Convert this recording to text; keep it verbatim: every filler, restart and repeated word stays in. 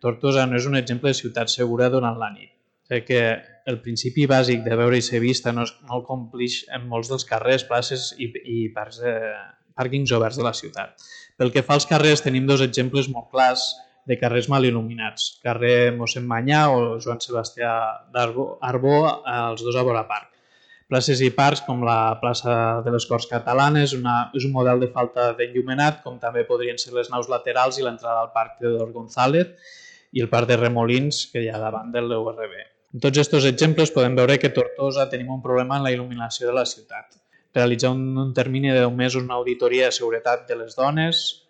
Tortosa no és un exemple de ciutat segura durant la nit. Crec que el principi bàsic de veure i ser vista no, es, no el complix en molts dels carrers, places i, i parcs de, pàrquings oberts de la ciutat. Pel que fa als carrers, tenim dos exemples molt clars de carrers mal il·luminats. Carrer Mossèn Manyà o Joan Sebastià d'Arbó, els dos a vora parc. Places i parcs com la plaça de les Corts Catalanes una, és un model de falta d'enllumenat, com també podrien ser les naus laterals i l'entrada al parc Teodor González i el parc de Remolins que hi ha davant del U R B. En tots aquests exemples podem veure que a Tortosa tenim un problema en la il·luminació de la ciutat. Realitzar un, un termini de deu mesos una auditoria de seguretat de les dones,